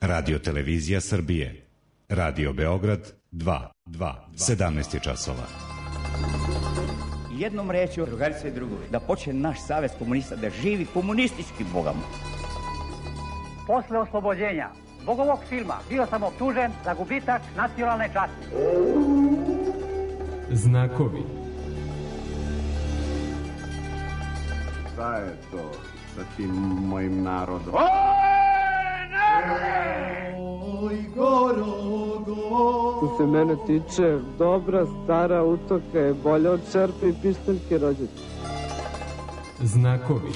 Radio Televizija Srbije. Radio Beograd 2. 17 je časova. Jednom rečju, drugarice i drugovi, da počne naš savez komunista da živi komunistički, Boga mu. Posle oslobođenja zbog ovog filma bio sam optužen za gubitak nacionalne časti. Znakovi. Šta je to sa tim mojim narodom? Oj, Što se mene tiče, dobra stara utoka je bolja od čerpe i pištaljke rođaka. Znakovi.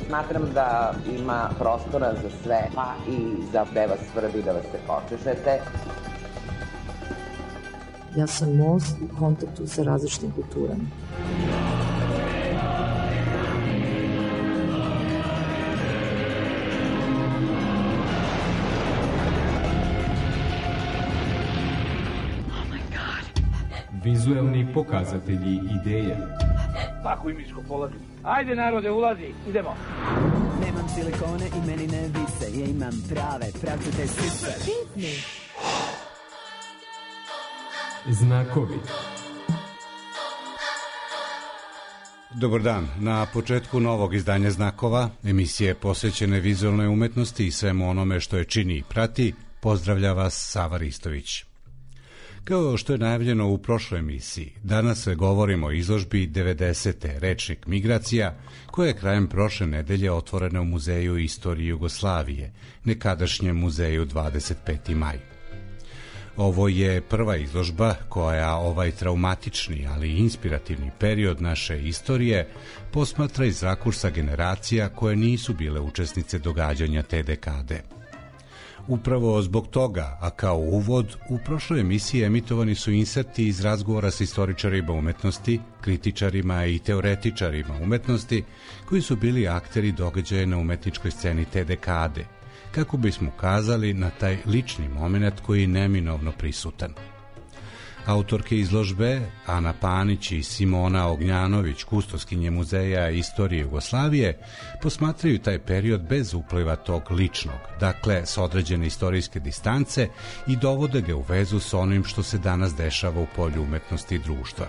Smatram da ima prostora za sve, pa i za da vas svrbi, da vas se počešete. Ja sam most u kontaktu sa različitim kulturama. Vizuelni pokazatelji ideje. Tako i mi smo polazili. Ajde narode, ulazi, idemo. Nemam silikone i meni ne vise, ja imam prave, pravcate sise. Znakovi. Dobar dan. Na početku novog izdanja Znakova, emisije posvećene vizualnoj umetnosti i svemu onome što je čini i prati, pozdravlja vas Sava Ristović. Kao što je najavljeno u prošloj emisiji, danas govorimo o izložbi 90. Rečnik migracija, koja je krajem prošle nedelje otvorena u Muzeju istorije Jugoslavije, nekadašnjem muzeju 25. maj. Ovo je prva izložba koja ovaj traumatični, ali inspirativni period naše istorije posmatra iz rakursa generacija koje nisu bile učesnice događanja te dekade. Upravo zbog toga, a kao uvod, u prošloj emisiji emitovani su inserti iz razgovora sa istoričarima umetnosti, kritičarima i teoretičarima umetnosti, koji su bili akteri događaja na umetničkoj sceni te dekade, kako bismo ukazali na taj lični moment koji je neminovno prisutan. Autorke izložbe, Ana Panić i Simona Ognjanović, kustoskinje Muzeja istorije Jugoslavije, posmatraju taj period bez upliva tog ličnog, dakle s određene istorijske distance, i dovode ga u vezu s onim što se danas dešava u polju umetnosti i društva.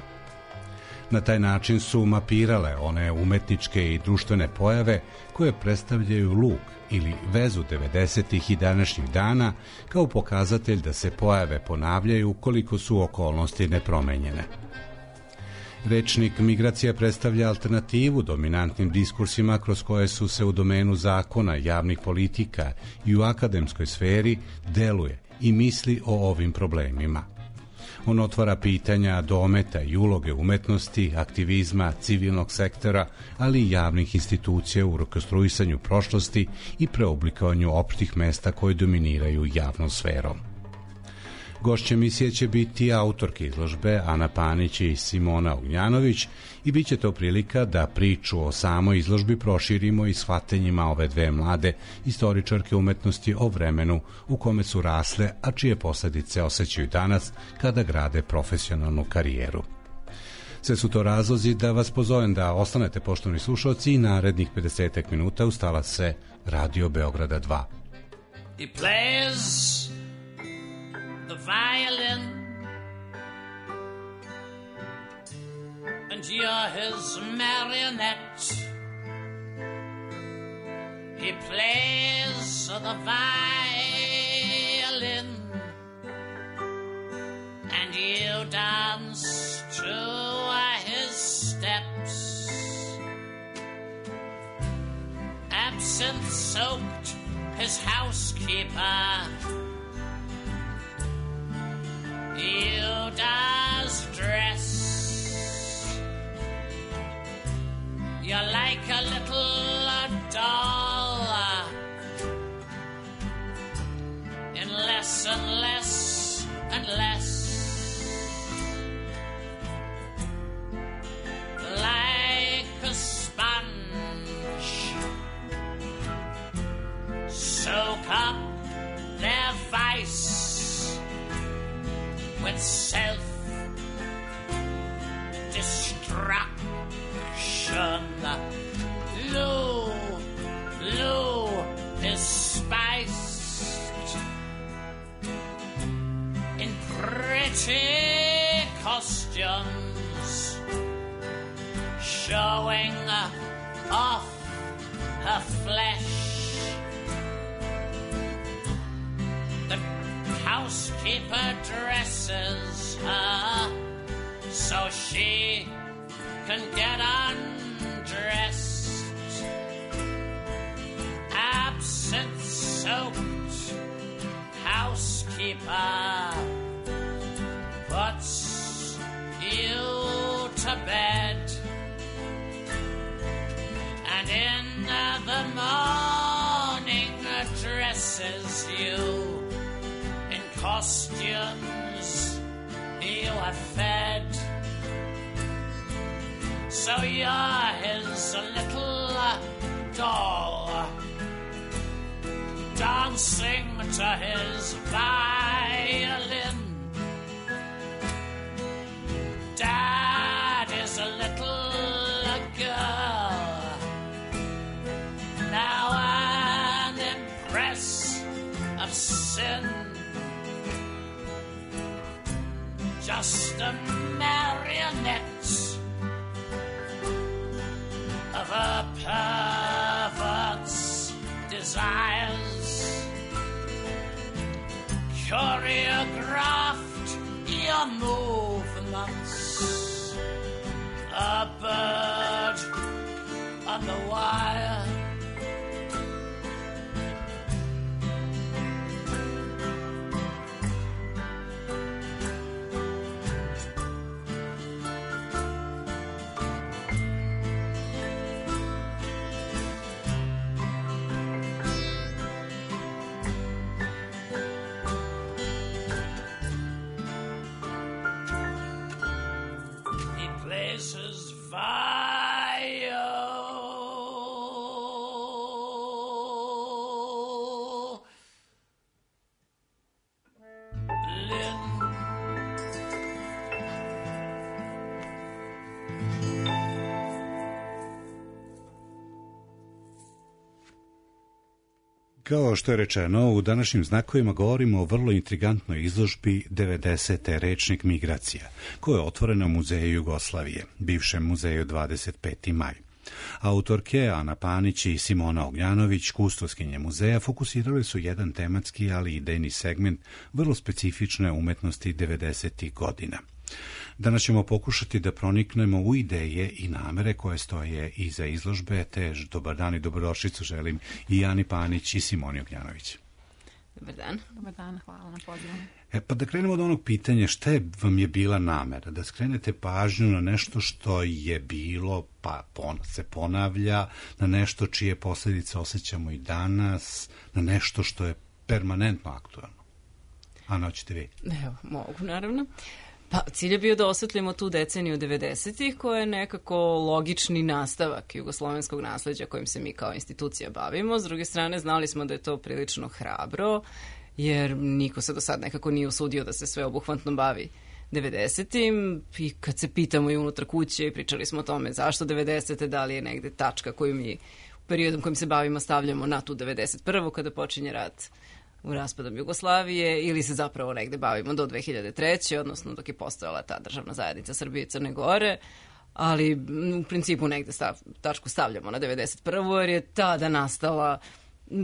Na taj način su mapirale one umetničke i društvene pojave koje predstavljaju luk ili vezu 90. i današnjih dana kao pokazatelj da se pojave ponavljaju koliko su okolnosti nepromenjene. Rečnik migracija predstavlja alternativu dominantnim diskursima kroz koje su se u domenu zakona, javnih politika i u akademskoj sferi deluje i misli o ovim problemima. On otvara pitanja dometa i uloge umetnosti, aktivizma, civilnog sektora, ali i javnih institucija u rekonstruisanju prošlosti i preoblikovanju opštih mesta koje dominiraju javnom sferom. Gošće emisije će biti autorke izložbe Ana Panić i Simona Ognjanović i bit će to prilika da priču o samoj izložbi proširimo i shvatanjima ove dve mlade istoričarke umetnosti o vremenu u kome su rasle, a čije posledice osjećaju danas kada grade profesionalnu karijeru. Sve su to razlozi da vas pozovem da ostanete, poštovani slušalci, i narednih 50 minuta uz talase Radio Beograda 2. He plays the violin, and you're his marionette. He plays the violin, and you dance to his steps. Absinthe-soaked his housekeeper, you does dress. You're like a little doll in less and less and less. Like a sponge, soak up their vice with self-destruction. Lose the flesh. The housekeeper dresses her so she can get undressed. Absinthe-soaked housekeeper puts you to bed, and in the morning dresses you in costumes you have fed. So you're his little doll, dancing to his violin. Dad is a little girl, now an impress of sin, just a marionette of a pervert's desires. Choreographed your movements, a bird on the wire. His Kao što je rečeno, u današnjim znakovima govorimo o vrlo intrigantnoj izložbi 90. Rečnik migracija, koja je otvorena u Muzeju Jugoslavije, bivšem muzeju 25. maj. Autorke Ana Panić i Simona Ognjanović, kustoskinje muzeja, fokusirali su jedan tematski, ali i idejni segment vrlo specifične umetnosti 90. godina. Danas ćemo pokušati da proniknemo u ideje i namere koje stoje iza izložbe, te dobar dan i dobrodošlicu želim i Ani Panić i Simoni Ognjanović. Dobar dan. Dobar dan, hvala na pozivu. Pa da krenemo od onog pitanja, šta vam je bila namera? Da skrenete pažnju na nešto što je bilo, pa se ponavlja, na nešto čije posljedice osjećamo i danas, na nešto što je permanentno aktualno. Ana, hoćete vi? Evo, mogu, naravno. Pa, cilj je bio da osvetlimo tu deceniju 90-ih, koja je nekako logični nastavak jugoslovenskog nasleđa kojim se mi kao institucija bavimo. S druge strane, znali smo da je to prilično hrabro, jer niko se do sad nekako nije usudio da se sveobuhvatno bavi 90-im. I kad se pitamo i unutar kuće i pričali smo o tome zašto 90-te, da li je negde tačka koju mi u periodom kojim se bavimo stavljamo na tu 91. kada počinje rat u raspadom Jugoslavije, ili se zapravo negde bavimo do 2003. odnosno dok je postojala ta državna zajednica Srbije i Crne Gore, ali u principu negde tačku stavljamo na 91. jer je tada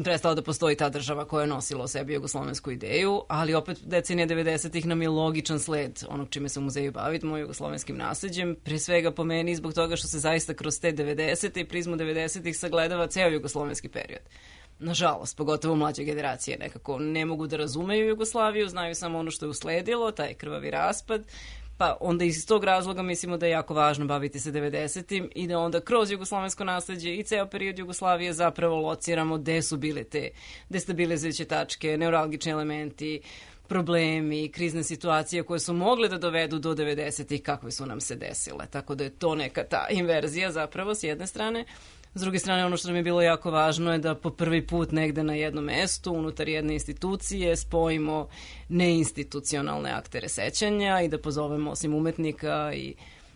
prestala da postoji ta država koja je nosila o sebi jugoslovensku ideju, ali opet decenija 90-ih nam je logičan sled onog čime se u muzeju bavimo, jugoslovenskim nasleđem, pre svega po meni zbog toga što se zaista kroz te 90-te i prizmu 90-ih sagledava ceo jugoslovenski period. Nažalost, pogotovo mlađe generacije nekako ne mogu da razumeju Jugoslaviju, znaju samo ono što je usledilo, taj krvavi raspad, pa onda iz tog razloga mislimo da je jako važno baviti se 90-im i da onda kroz jugoslovensko nasleđe i ceo period Jugoslavije zapravo lociramo gde su bile te destabilizujuće tačke, neuralgični elementi, problemi, krizne situacije koje su mogle da dovedu do 90-ih kakve su nam se desile. Tako da je to neka ta inverzija zapravo s jedne strane. S druge strane, ono što nam je bilo jako važno je da po prvi put negde na jednom mestu, unutar jedne institucije, spojimo neinstitucionalne aktere sećanja i da pozovemo osim umetnika i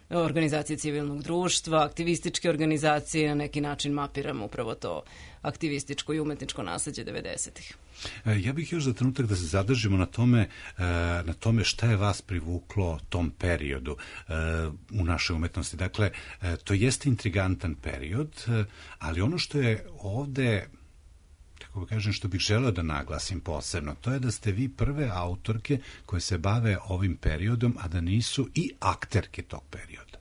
organizacije civilnog društva, aktivističke organizacije, na neki način mapiramo upravo to aktivističko i umetničko nasleđe 90-ih. Ja bih još za trenutak da se zadržimo na tome šta je vas privuklo tom periodu u našoj umetnosti. Dakle, to jeste intrigantan period, ali ono što je ovde, kako kažem, što bih želeo da naglasim posebno, to je da ste vi prve autorke koje se bave ovim periodom, a da nisu i akterke tog perioda.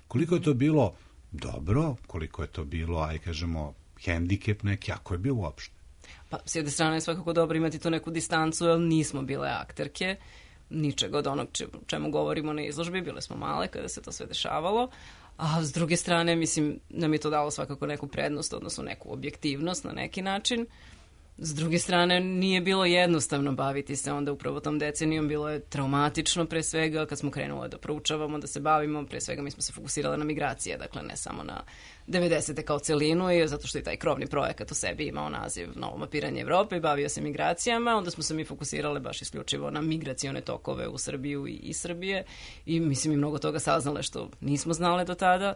Koliko je to bilo dobro, koliko je to bilo, aj kažemo, hendikep neki, ako je bio uopšte? Pa, s jedne strane je svakako dobro imati tu neku distancu, jer nismo bile akterke, ničega od onog čemu govorimo na izložbi, bile smo male kada se to sve dešavalo, a s druge strane, mislim, nam je to dalo svakako neku prednost, odnosno neku objektivnost na neki način. S druge strane, nije bilo jednostavno baviti se onda upravo tom decenijom, bilo je traumatično pre svega, kad smo krenule da proučavamo, da se bavimo, pre svega mi smo se fokusirali na migracije, dakle ne samo na 90. kao celinu, i zato što je taj krovni projekat u sebi imao naziv Novo mapiranje Evrope i bavio se migracijama, onda smo se mi fokusirale baš isključivo na migracione tokove u Srbiju i iz Srbije i mislim i mnogo toga saznale što nismo znale do tada.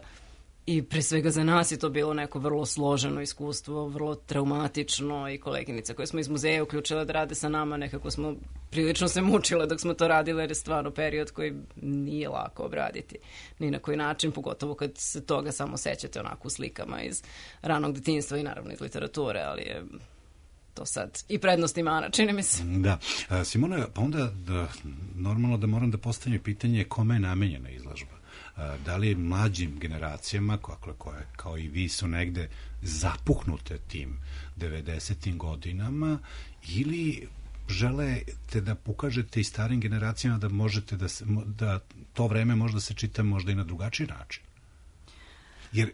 I pre svega za nas je to bilo neko vrlo složeno iskustvo, vrlo traumatično i koleginice koje smo iz muzeja uključile da rade sa nama, nekako smo prilično se mučile dok smo to radile jer je stvarno period koji nije lako obraditi ni na koji način, pogotovo kad se toga samo sećate onako u slikama iz ranog detinjstva i naravno iz literature, ali je to sad i prednost i mana, čini mi se. Da. Simona, pa onda normalno da moram da postavim pitanje kome je namenjena izložba? Da li mlađim generacijama koje kao i vi su negde zapuhnute tim 90. godinama ili želite da pokažete i starim generacijama da možete da to vreme možda se čita možda i na drugačiji način? Jer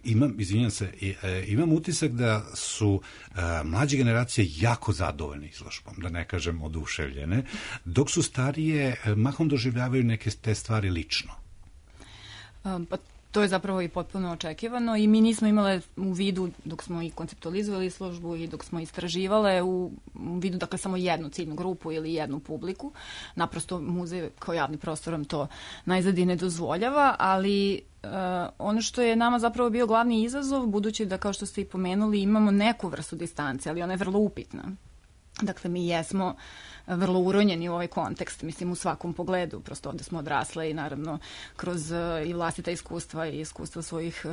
imam utisak da su mlađe generacije jako zadovoljne izložbom, da ne kažem oduševljene, dok su starije mahom doživljavaju neke te stvari lično. Pa to je zapravo i potpuno očekivano i mi nismo imale u vidu dok smo i konceptualizovali izložbu i dok smo istraživale u vidu dakle samo jednu ciljnu grupu ili jednu publiku. Naprosto muzej kao javni prostor vam to najzad i ne dozvoljava, ali ono što je nama zapravo bio glavni izazov, budući da kao što ste i pomenuli imamo neku vrstu distance, ali ona je vrlo upitna. Dakle, mi jesmo vrlo uronjeni u ovaj kontekst, mislim u svakom pogledu, prosto ovde smo odrasle i naravno kroz i vlastita iskustva i iskustva svojih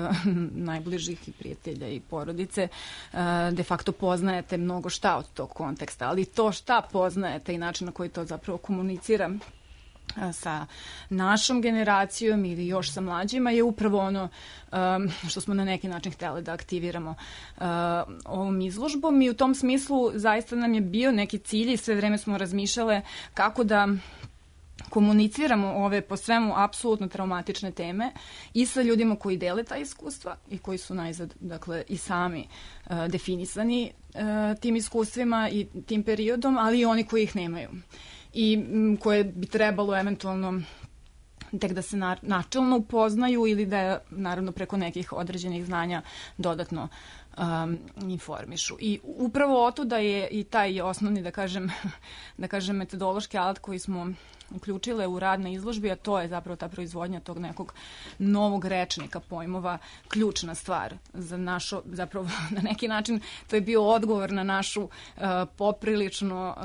najbližih i prijatelja i porodice, de facto poznajete mnogo šta od tog konteksta, ali to šta poznajete i način na koji to zapravo komunicira sa našom generacijom ili još sa mlađima je upravo ono što smo na neki način htjeli da aktiviramo ovom izložbom i u tom smislu zaista nam je bio neki cilj i sve vreme smo razmišljale kako da komuniciramo ove po svemu apsolutno traumatične teme i sa ljudima koji dele ta iskustva i koji su najzad dakle i sami definisani tim iskustvima i tim periodom, ali i oni koji ih nemaju i koje bi trebalo eventualno tek da se načelno upoznaju ili da naravno preko nekih određenih znanja dodatno informišu. I upravo otuda je i taj osnovni, da kažem, metodološki alat koji smo uključile u rad na izložbi, a to je zapravo ta proizvodnja tog nekog novog rečnika pojmova, ključna stvar za našu, zapravo na neki način to je bio odgovor na našu poprilično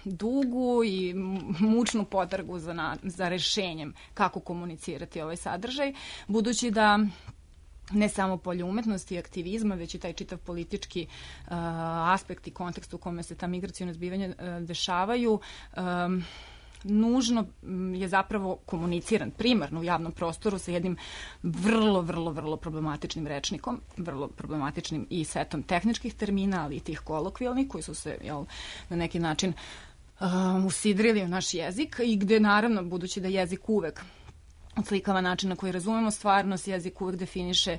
dugu i mučnu potragu za rešenjem kako komunicirati ovaj sadržaj, budući da ne samo polje umetnosti i aktivizma, već i taj čitav politički aspekt i kontekst u kome se ta migracijona zbivanja dešavaju, nužno je zapravo komuniciran primarno u javnom prostoru sa jednim vrlo problematičnim rečnikom, vrlo problematičnim i setom tehničkih termina, ali i tih kolokvijalnih koji su se na neki način usidrili u naš jezik i gde naravno, budući da jezik uvek odslikava način na koji razumemo stvarnost, jezik uvek definiše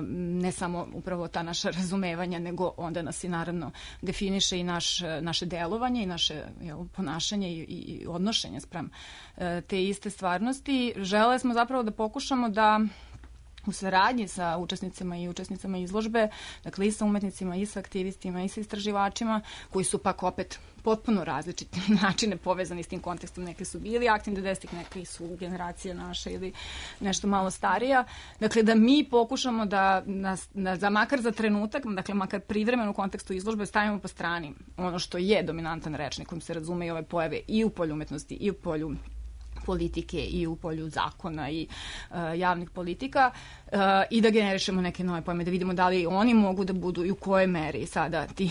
ne samo upravo ta naša razumevanja, nego onda nas i naravno definiše i naše delovanje i naše ponašanje i odnošenje sprem te iste stvarnosti. Želeli smo zapravo da pokušamo da u saradnji sa učesnicima i učesnicama izložbe, dakle i sa umetnicima, i sa aktivistima, i sa istraživačima, koji su pak opet potpuno različiti načine povezani s tim kontekstom. Neki su bili aktivni 90-ih, neki su generacija naša ili nešto malo starija. Dakle, da mi pokušamo da makar za trenutak, dakle makar privremeno u kontekstu izložbe stavimo po strani ono što je dominantan rečnik kojim se razume i ove pojave i u polju umetnosti i u polju politike i u polju zakona i javnih politika i da generišemo neke nove pojme, da vidimo da li oni mogu da budu i u kojoj meri sada ti,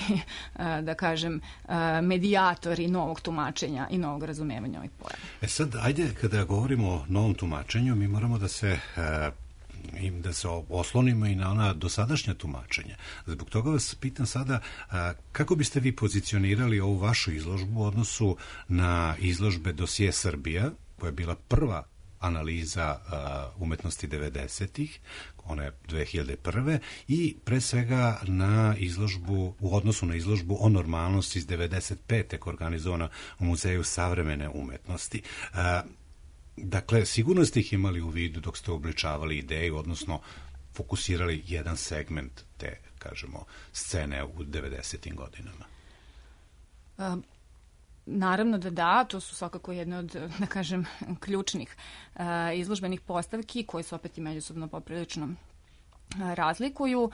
da kažem, medijatori novog tumačenja i novog razumevanja ovih pojava. Sad, ajde, kada govorimo o novom tumačenju, mi moramo da se oslonimo i na ona dosadašnja tumačenja. Zbog toga vas pitam sada, kako biste vi pozicionirali ovu vašu izložbu u odnosu na izložbe Dosije Srbija, koja je bila prva analiza umetnosti 90-ih, ona je 2001. i pre svega na izložbu, u odnosu na izložbu o normalnosti iz 95. koja je organizovana u Muzeju savremene umetnosti. Dakle, sigurno ste ih imali u vidu dok ste obličavali ideju, odnosno fokusirali jedan segment te, kažemo, scene u 90. godinama. Naravno da, to su svakako jedne od, da kažem, ključnih izložbenih postavki koje su opet i međusobno poprilično razlikuju,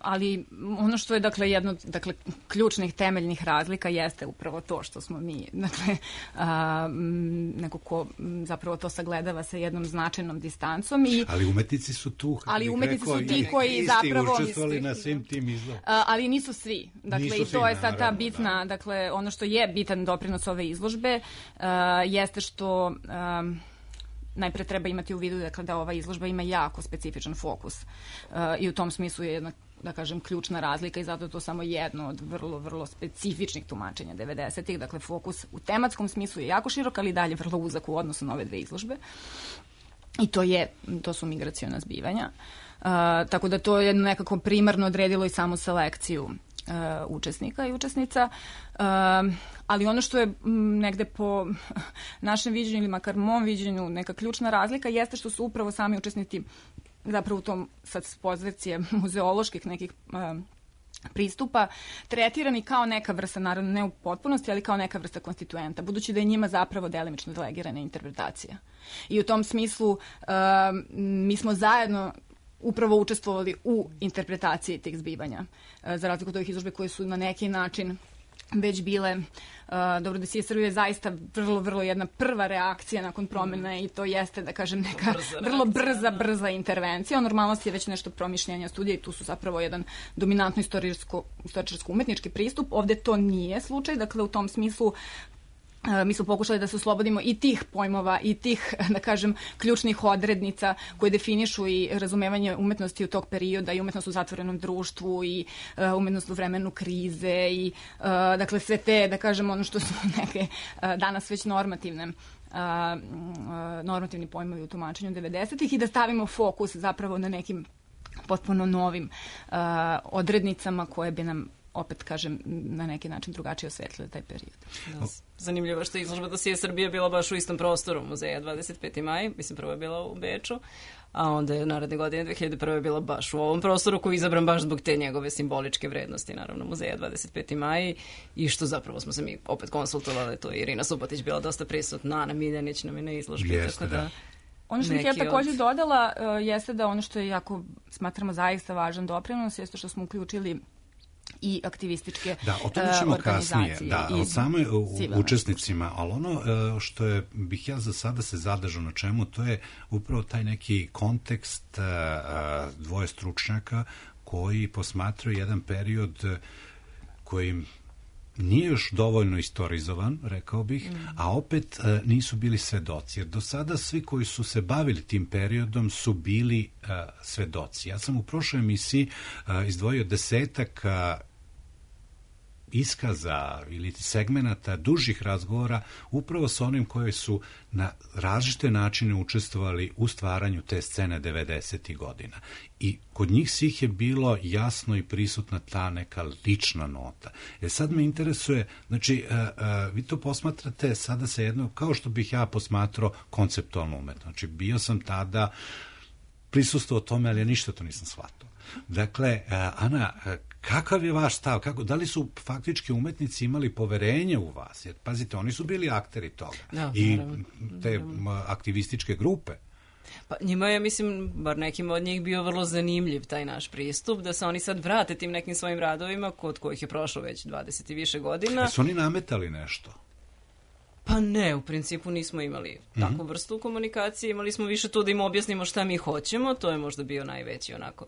ali ono što je dakle jedno od ključnih temeljnih razlika jeste upravo to što smo mi, dakle neko ko zapravo to sagledava sa jednom značajnom distancom. Ali umetnici su tu, ali umetnici su ti koji zapravo učestvovali na svim tim izložbama. Ali nisu svi. Dakle, i to je sad ta bitna, dakle, ono što je bitan doprinos ove izložbe jeste što najpre treba imati u vidu da ova izložba ima jako specifičan fokus i u tom smislu je jedna, da kažem, ključna razlika i zato je to samo jedno od vrlo, vrlo specifičnih tumačenja 90-ih. Dakle, fokus u tematskom smislu je jako širok, ali dalje vrlo uzak u odnosu na ove dve izložbe. I to su migraciona zbivanja. Tako da to je nekako primarno odredilo i samu selekciju učesnika i učesnica, ali ono što je negde po našem viđenju ili makar mom viđenju neka ključna razlika jeste što su upravo sami učesnici zapravo u tom sad s pozicije muzeoloških nekih pristupa tretirani kao neka vrsta, naravno ne u potpunosti, ali kao neka vrsta konstituenta, budući da je njima zapravo delimično delegirana interpretacija. I u tom smislu mi smo zajedno upravo učestvovali u interpretaciji tih zbivanja. Za razliku od ovih izložbe koje su na neki način već bile, dobro, Dosije Srbije je zaista vrlo, vrlo jedna prva reakcija nakon promene i to jeste, da kažem, neka vrlo brza intervencija. O normalnosti je već nešto promišljanja studija i tu su zapravo jedan dominantno istorijsko-umetnički pristup. Ovde to nije slučaj, dakle u tom smislu mi smo pokušali da se oslobodimo i tih pojmova i tih, da kažem, ključnih odrednica koje definišu i razumevanje umetnosti u tog perioda i umetnost u zatvorenom društvu i umetnost u vremenu krize i dakle sve te, da kažem, ono što su neke danas već normativni pojmovi u tumačenju 90-ih i da stavimo fokus zapravo na nekim potpuno novim odrednicama koje bi nam, opet kažem, na neki način drugačije osvetlile taj period. Zanimljivo što je izložba Dosije Srbije bila baš u istom prostoru muzeja 25. maj, mislim prvo je bila u Beču, a onda je naredne godine 2001. bila baš u ovom prostoru koji je izabran baš zbog te njegove simboličke vrednosti, naravno muzeja 25. maj i što zapravo smo se mi opet konsultovali, to je Irina Subotić bila dosta prisutna, Ana Miljanić nam je na izložbi. Jeste, tako da. Ono što bih ja također dodala jeste da ono što je jako, smatramo, zaista važan doprinos jeste što smo uključili i aktivističke organizacije. Da, o tome ćemo kasnije, o same učesnicima, ali ono što bih ja za sada se zadržao na čemu, to je upravo taj neki kontekst dvoje stručnjaka koji posmatraju jedan period koji nije još dovoljno istorizovan, rekao bih, a opet nisu bili svedoci. Jer do sada svi koji su se bavili tim periodom su bili svedoci. Ja sam u prošloj emisiji izdvojio 10 iskaza ili segmenata dužih razgovora upravo sa onim koji su na različite načine učestvovali u stvaranju te scene 90. godina. I kod njih svih je bilo jasno i prisutna ta neka lična nota. Sad me interesuje, znači, vi to posmatrate sada sa jednom, kao što bih ja posmatrao konceptualnu umetnost. Znači, bio sam tada prisustvovao tome, ali ja ništa to nisam shvatao. Dakle, Ana, kakav je vaš stav? Da li su faktički umetnici imali poverenje u vas? Jer, pazite, oni su bili akteri toga. Da, i naravno. te aktivističke grupe. Pa njima je, mislim, bar nekim od njih bio vrlo zanimljiv taj naš pristup, da se oni sad vrate tim nekim svojim radovima, kod kojih je prošlo već 20 i više godina. Su oni nametali nešto? Pa ne, u principu nismo imali takvu vrstu komunikacije, imali smo više to da im objasnimo šta mi hoćemo, to je možda bio najveći onako,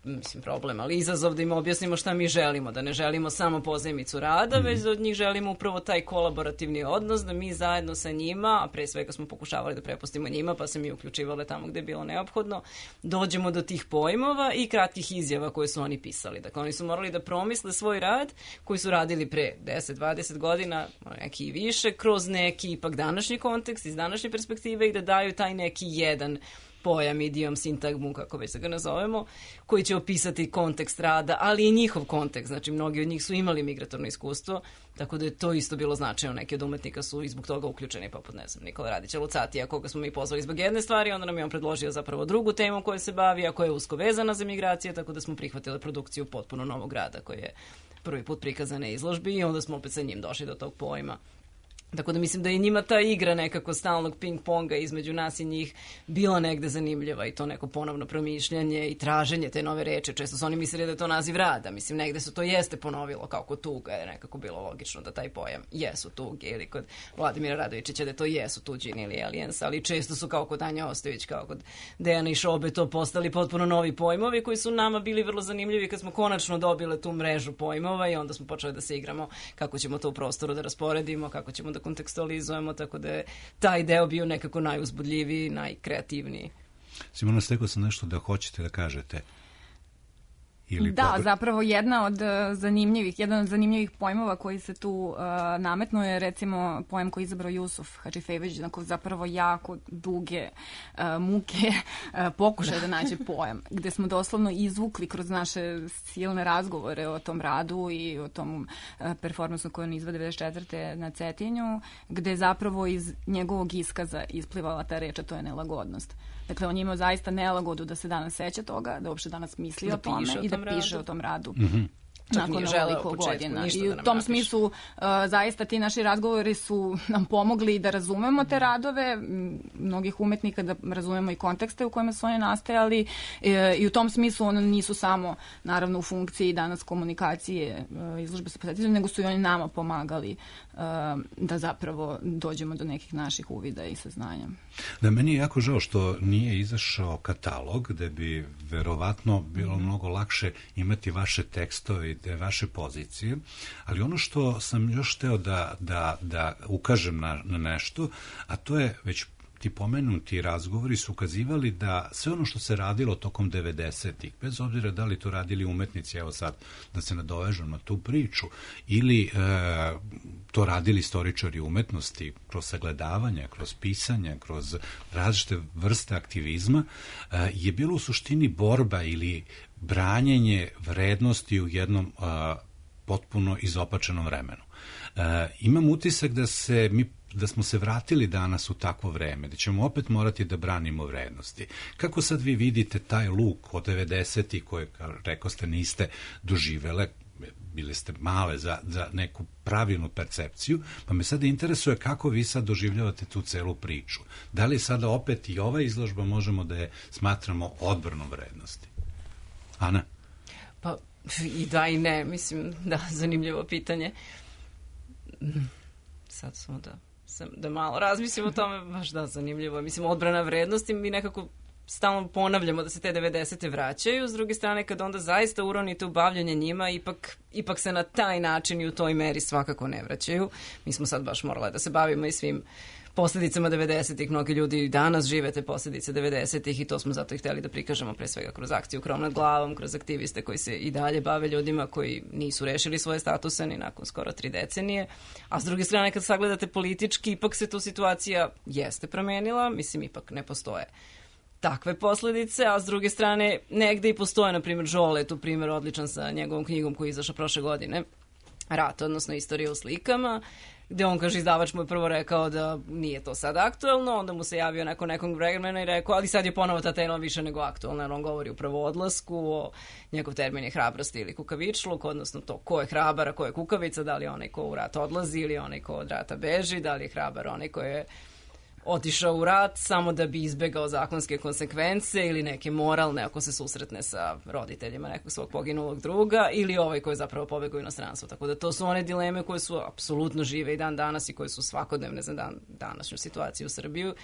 mislim, problem, ali izazov da im objasnimo šta mi želimo, da ne želimo samo pozajmicu rada, već da od njih želimo upravo taj kolaborativni odnos, da mi zajedno sa njima, a pre svega smo pokušavali da prepustimo njima, pa se mi uključivale tamo gde je bilo neophodno, dođemo do tih pojmova i kratkih izjava koje su oni pisali. Dakle, oni su morali da promisle svoj rad koji su radili pre 10-20 godina, neki i više, kroz neki ipak današnji kontekst, iz današnje perspektive i da daju taj neki jedan pojam, idiom, sintagmu, kako već da ga nazovemo, koji će opisati kontekst rada, ali i njihov kontekst. Znači, mnogi od njih su imali migratorno iskustvo, tako da je to isto bilo značajno. Neki od umetnika su i zbog toga uključeni, poput, ne znam, Nikola Radića Lucatija, koga smo mi pozvali zbog jedne stvari, onda nam je on predložio zapravo drugu temu koju se bavi, a koja je usko vezana za migracije, tako da smo prihvatili produkciju potpuno novog rada, koji je prvi put prikazan na izložbi i onda smo opet sa njim došli do tog pojma. Tako da mislim da je njima ta igra nekako stalnog ping-ponga između nas i njih bila negde zanimljiva i to neko ponovno promišljanje i traženje te nove reči. Često su oni mislili da je to naziv rada. Mislim, negde se to jeste ponovilo kao kod tuga, je nekako bilo logično da taj pojam jesu tuge ili kod Vladimira Radovičića da to jesu tuđini ili aliens, ali često su kao kod Anja Ostojić, kao kod Dejana i Šobe to postali potpuno novi pojmovi koji su nama bili vrlo zanimljivi kad smo konačno dobile tu mrežu pojmova i onda smo počeli da se igramo kako ćemo to u prostoru da rasporedimo, kako ćemo da kontekstualizujemo, tako da je taj deo bio nekako najuzbudljiviji, najkreativniji. Simona, stekao sam nešto da hoćete da kažete. Da, zapravo jedan od zanimljivih pojmova koji se tu nametnuo je recimo pojam koji je izabrao Jusuf Hadžifević, zapravo jako duge muke pokušaje da nađe pojam, gde smo doslovno izvukli kroz naše silne razgovore o tom radu i o tom performansu koju on izvade 94. na Cetinju, gde je zapravo iz njegovog iskaza isplivala ta reč, a to je nelagodnost. Dakle, on je imao zaista nelagodu da se danas seća toga, da uopšte danas misli o tome i da piše o tom radu. Nakon ovoliko godina. I u tom smislu zaista ti naši razgovori su nam pomogli da razumemo te radove, mnogih umetnika da razumemo i kontekste u kojima su oni nastajali i u tom smislu oni nisu samo naravno u funkciji danas komunikacije izložbe sa posjetiteljima, nego su i oni nama pomagali da zapravo dođemo do nekih naših uvida i saznanja. Da, meni je jako žao što nije izašao katalog gde bi verovatno bilo mnogo lakše imati vaše tekstove i vaše pozicije, ali ono što sam još hteo da ukažem na nešto, a to je već ti pomenuti razgovori su ukazivali da sve ono što se radilo tokom 90-ih, bez obzira da li to radili umetnici, evo sad da se nadovežem na tu priču, ili to radili istoričari umetnosti kroz sagledavanje, kroz pisanje, kroz različite vrste aktivizma, je bilo u suštini borba ili branjenje vrednosti u jednom potpuno izopačenom vremenu. Imam utisak da smo se vratili danas u takvo vreme, da ćemo opet morati da branimo vrednosti. Kako sad vi vidite taj luk od 90-ih koje, kao rekao ste, niste doživele, bili ste male za neku pravilnu percepciju, pa me sada interesuje kako vi sad doživljavate tu celu priču. Da li sada opet i ova izložba možemo da je smatramo odbranom vrednosti? Ana? Pa i da i ne, mislim, da, zanimljivo pitanje. Sad smo da malo razmislimo o tome, baš da, zanimljivo. Mislim, odbrana vrednosti, mi nekako stalno ponavljamo da se te 90. vraćaju, s druge strane kad onda zaista uronite u bavljanje njima, ipak se na taj način i u toj meri svakako ne vraćaju. Mi smo sad baš morali da se bavimo i svim posljedicama 90-ih, mnogi ljudi danas žive te posledice 90-ih i to smo zato i htjeli da prikažemo pre svega kroz akciju Krov nad glavom, kroz aktiviste koji se i dalje bave ljudima koji nisu rešili svoje statuse ni nakon skoro 3 decenije, a s druge strane kad sagledate politički, ipak se tu situacija jeste promenila, mislim ipak ne postoje takve posledice, a s druge strane negde i postoje, na primjer Žole, tu primjer odličan sa njegovom knjigom koji je izašao prošle godine, rata, odnosno istorije u slikama, gde on kaže, izdavač mu je prvo rekao da nije to sad aktuelno, onda mu se javio nakon nekog vremena i rekao, ali sad je ponovo ta tema više nego aktuelna, jer on govori upravo o odlasku, o njegov termin je hrabrosti ili kukavičluk, odnosno to ko je hrabar, a ko je kukavica, da li je onaj ko u rat odlazi ili onaj ko od rata beži, da li je hrabar onaj ko je otišao u rat samo da bi izbegao zakonske konsekvence ili neke moralne ako se susretne sa roditeljima nekog svog poginulog druga ili ovaj koji je zapravo pobegao u inostranstvo. Tako da to su one dileme koje su apsolutno žive i dan danas i koje su svakodnevne za današnju situaciju u Srbiju.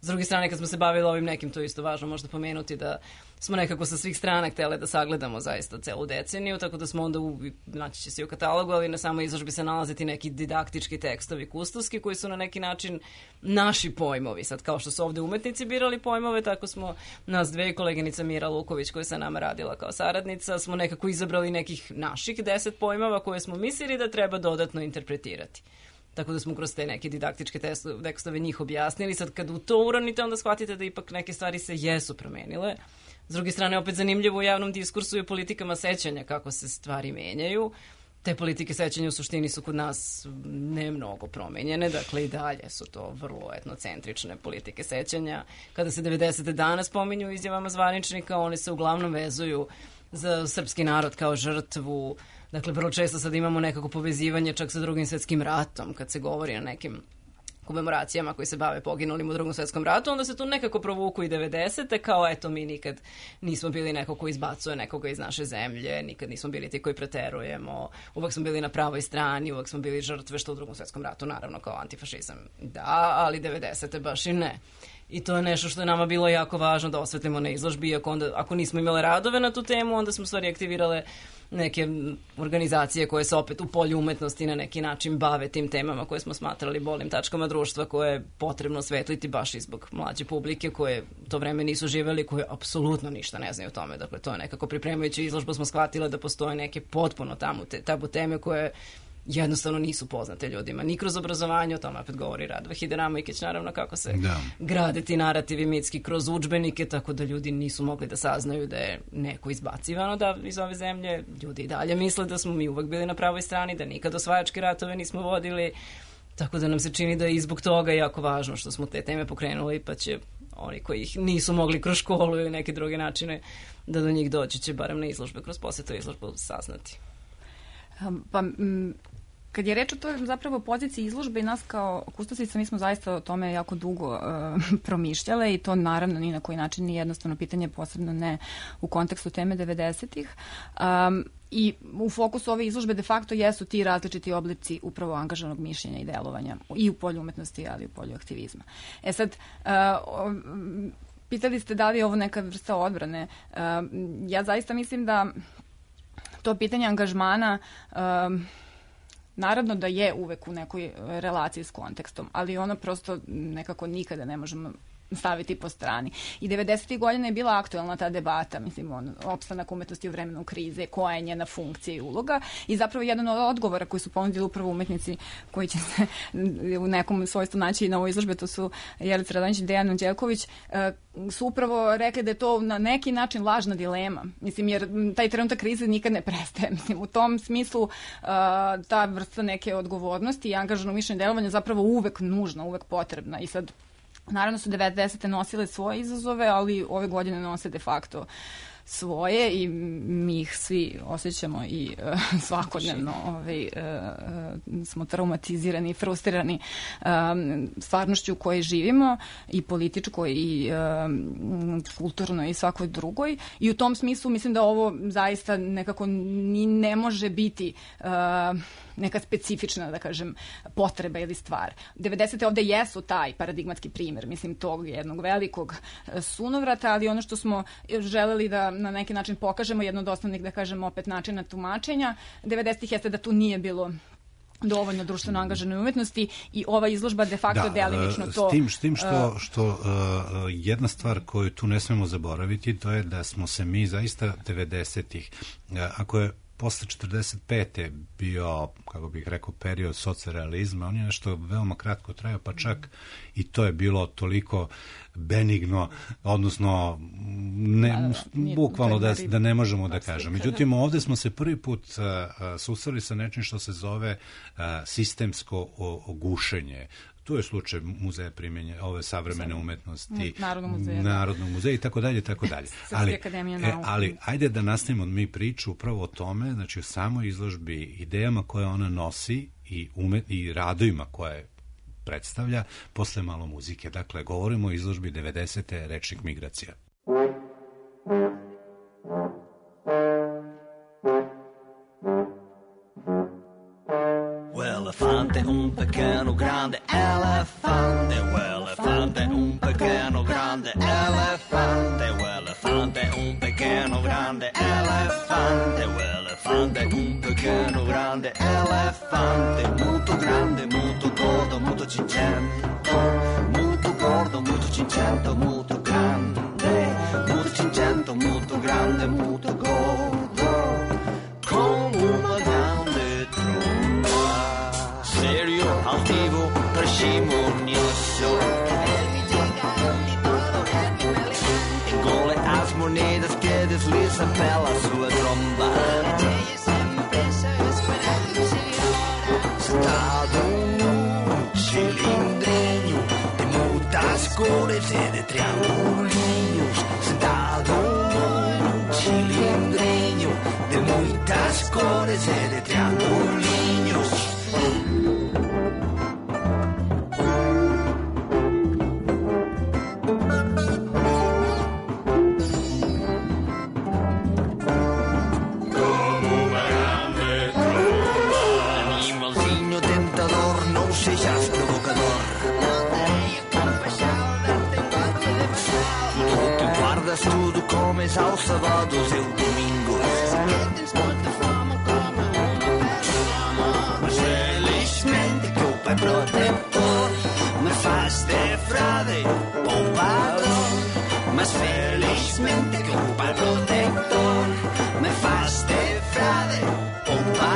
S druge strane, kad smo se bavili ovim nekim, to je isto važno možda pomenuti da smo nekako sa svih strana htjeli da sagledamo zaista celu deceniju, tako da smo onda, naći će se i u katalogu, ali na samoj izložbi se nalaziti neki didaktički tekstovi kustoski koji su na neki način naši pojmovi. Sad, kao što su ovde umetnici birali pojmove, tako smo nas dve, koleginica Mira Luković koja je sa nama radila kao saradnica, smo nekako izabrali nekih naših 10 pojmova koje smo mislili da treba dodatno interpretirati. Tako da smo kroz te neke didaktičke tekstove njih objasnili. Sad kad u to uronite, onda shvatite da ipak neke stvari se jesu promenile. S druge strane, opet zanimljivo u javnom diskursu je politikama sećanja kako se stvari menjaju. Te politike sećanja u suštini su kod nas ne mnogo promenjene, dakle i dalje su to vrlo etnocentrične politike sećanja. Kada se 90. danas pominju izjavama zvaničnika, one se uglavnom vezuju za srpski narod kao žrtvu. Dakle, vrlo često sad imamo nekako povezivanje čak sa Drugim svjetskim ratom, kad se govori o nekim komemoracijama koji se bave poginulim u Drugom svjetskom ratu, onda se tu nekako provuku i 90. kao eto mi nikad nismo bili neko ko izbacuje nekoga iz naše zemlje, nikad nismo bili ti koji preterujemo, uvek smo bili na pravoj strani, uvek smo bili žrtve, što u Drugom svjetskom ratu naravno kao antifašizam. Da, ali 90. baš i ne. I to je nešto što je nama bilo jako važno da osvetlimo na izložbi, iako onda, ako nismo imale radove na tu temu, onda smo stvari aktivirale neke organizacije koje se opet u polju umetnosti na neki način bave tim temama koje smo smatrali bolnim tačkama društva, koje je potrebno osvetliti baš i zbog mlađe publike koje to vreme nisu živeli, koje apsolutno ništa ne znaju o tome. Dakle, to je nekako pripremajući izložbu smo shvatile da postoje neke potpuno tabu teme koje jednostavno nisu poznate ljudima. Ni kroz obrazovanje, o tome opet govori Radva Hideramojkić, naravno kako se grade ti narativi mitski kroz udžbenike, tako da ljudi nisu mogli da saznaju da je neko izbacivano iz ove zemlje. Ljudi i dalje misle da smo mi uvek bili na pravoj strani, da nikad osvajačke ratove nismo vodili, tako da nam se čini da je i zbog toga jako važno što smo te teme pokrenuli, pa će oni koji ih nisu mogli kroz školu ili neke druge načine da do njih doći će barem na izložbe, kroz posjetu izložbu saznati. Pa, kad je reč o toj zapravo poziciji izložbe i nas kao kustosica, mi smo zaista o tome jako dugo promišljale i to naravno ni na koji način nije jednostavno pitanje, posebno ne u kontekstu teme 90-ih. I u fokusu ove izložbe de facto jesu ti različiti oblici upravo angažovanog mišljenja i delovanja i u polju umetnosti, ali i u polju aktivizma. E sad, pitali ste da li je ovo neka vrsta odbrane. Ja zaista mislim da to pitanje angažmana naravno da je uvek u nekoj relaciji s kontekstom, ali ono prosto nekako nikada ne možemo staviti po strani. I 90. godina je bila aktuelna ta debata, mislim, opstanak umetnosti u vremenu krize, koja je njena funkcija i uloga i zapravo jedan od odgovora koji su ponudili upravo umetnici koji će se u nekom svojstvu naći na ovoj izložbi, to su Jelica Radonjić i Dejan Anđelković, su upravo rekli da je to na neki način lažna dilema. Mislim, jer taj trenutak krize nikad ne prestaje. Mislim, u tom smislu ta vrsta neke odgovornosti i angažovanog mišljenja delovanja zapravo uvek nužna, uvek potrebna. I sad naravno su 90. nosile svoje izazove, ali ove godine nose de facto svoje i mi ih svi osjećamo i svakodnevno smo traumatizirani i frustrirani stvarnošću u kojoj živimo i političkoj i kulturnoj i svakoj drugoj i u tom smislu mislim da ovo zaista nekako ni ne može biti neka specifična, da kažem, potreba ili stvar. 90. ovde jesu taj paradigmatski primjer, mislim, tog jednog velikog sunovrata, ali ono što smo želeli da na neki način pokažemo, jedno od osnovnih, da kažem, opet načina tumačenja 90. jeste da tu nije bilo dovoljno društveno angažovanoj umetnosti i ova izložba de facto delimično to... S tim što jedna stvar koju tu ne smemo zaboraviti, to je da smo se mi zaista 90-ih, ako je posle 45. bio, kako bih rekao, period socrealizma, on je nešto veoma kratko trajao, pa čak i to je bilo toliko benigno, odnosno bukvalno da ne možemo da kažemo. Međutim, ovde smo se prvi put susreli sa nečim što se zove sistemsko gušenje. Tu je slučaj muzeja primjenja ove savremene umetnosti, Narodnog muzeja i tako dalje, tako dalje. Ali ajde da nastavimo mi priču upravo o tome, znači o samoj izložbi, idejama koje ona nosi i radovima koje predstavlja, posle malo muzike. Dakle, govorimo o izložbi 90. Rečnik migracija. Elefante, un pequeno grande elefante, elefante, un pequeno grande elefante, elefante, un pequeno grande elefante, elefante, un pequeno grande elefante, molto grande, molto gordo, molto cincento, molto gordo, molto cincento, molto grande, molto cincento, molto grande, molto gordo, come una grande tromba, serio, altivo, parsimonioso, e con le monedas que desliza pela sua tromba, sentado num cilindrinho de muitas cores e de triangulinhos, sentado num cilindrinho de muitas cores e de triangulinhos. Tudo comes aos sábados e domingos, mas felizmente que o Pai protetor me faz de frade poupador, mas felizmente que o Pai protetor me faz de frade poupador.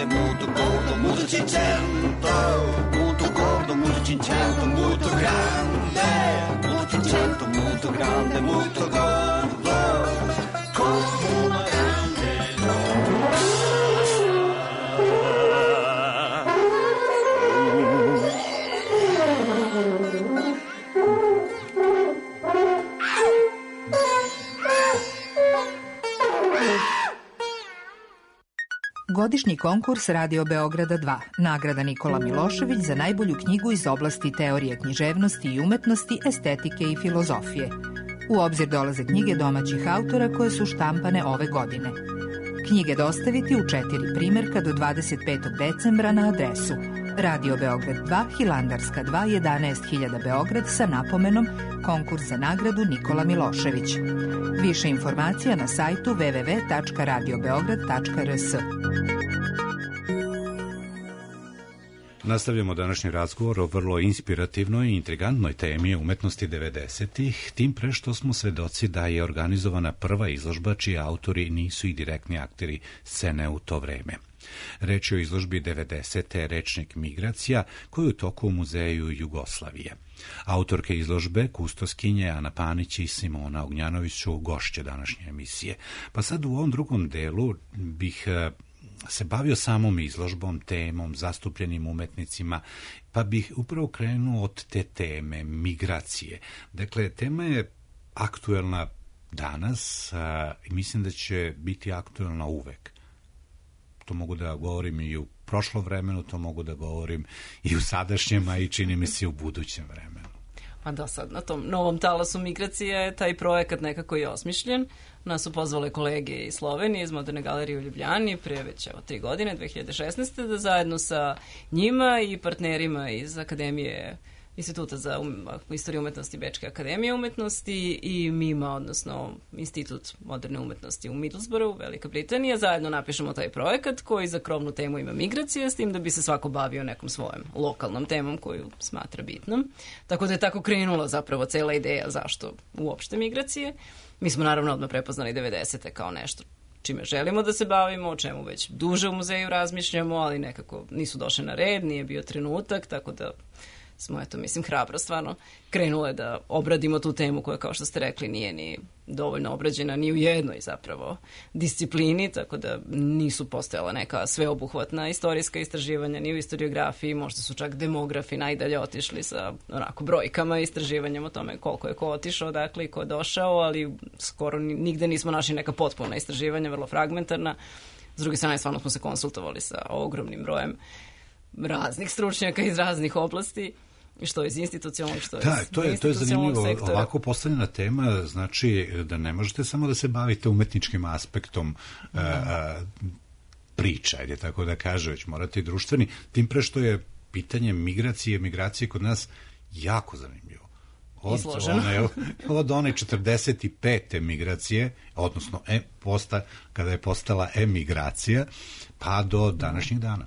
Molto gordo, molto cincento, molto grande, molto cincento, molto grande, molto gordo, come una grande Godišnji konkurs Radio Beograda 2, nagrada Nikola Milošević za najbolju knjigu iz oblasti teorije književnosti i umetnosti, estetike i filozofije. U obzir dolaze knjige domaćih autora koje su štampane ove godine. Knjige dostaviti u 4 primerka do 25. decembra na adresu Radio Beograd 2, Hilandarska 2, 11.000 Beograd sa napomenom Konkurs za nagradu Nikola Milošević. Više informacija na sajtu www.radiobeograd.rs. Nastavljamo današnji razgovor o vrlo inspirativnoj i intrigantnoj temi umetnosti 90-ih, tim pre što smo svedoci da je organizovana prva izložba čiji autori nisu i direktni akteri scene u to vreme. Reč je o izložbi 90. Rečnik migracija, koju je u toku u Muzeju Jugoslavije. Autorke izložbe, kustoskinje Ana Panić i Simona Ognjanović su gošće današnje emisije. Pa sad u ovom drugom delu bih se bavio samom izložbom, temom, zastupljenim umetnicima, pa bih upravo krenuo od te teme, migracije. Dakle, tema je aktuelna danas i mislim da će biti aktuelna uvek. To mogu da govorim i u prošlom vremenu, to mogu da govorim i u sadašnjem, a i čini mi se u budućem vremenu. Pa da, sad na tom novom talasu migracije taj projekat nekako je osmišljen. Nas su pozvale kolege iz Slovenije, iz Moderne galerije u Ljubljani, pre već 3 godine, 2016. da zajedno sa njima i partnerima iz Akademije Instituta za istoriju umetnosti Bečke akademije umetnosti i MIMA, odnosno Institut moderne umetnosti u Middlesbroughu, Velika Britanija, zajedno napišemo taj projekat koji za krovnu temu ima migracije, s tim da bi se svako bavio nekom svojom lokalnom temom koju smatra bitnom. Tako da je tako krenula zapravo cela ideja zašto uopšte migracije. Mi smo naravno odmah prepoznali 90. kao nešto čime želimo da se bavimo, o čemu već duže u muzeju razmišljamo, ali nekako nisu došli na red, nije bio trenutak, tako da smo, eto, mislim, hrabro stvarno krenule da obradimo tu temu koja, kao što ste rekli, nije ni dovoljno obrađena ni u jednoj zapravo disciplini, tako da nisu postojala neka sveobuhvatna istorijska istraživanja ni u historiografiji, možda su čak demografi najdalje otišli sa onako brojkama i istraživanjem o tome koliko je ko otišao, dakle, i ko je došao, ali skoro nigde nismo našli neka potpuna istraživanja, vrlo fragmentarna. S druge strane, stvarno smo se konsultovali sa ogromnim brojem raznih stručnjaka iz raznih oblasti, što iz institucionalnog, što iz institucionalnog sektora. To je zanimljivo. Ovako postavljena tema znači da ne možete samo da se bavite umetničkim aspektom priča, ajde tako da kaže, već morate i društveni, tim pre što je pitanje migracije kod nas jako zanimljivo. Od one 45. migracije, odnosno kada je postala emigracija, pa do današnjih dana.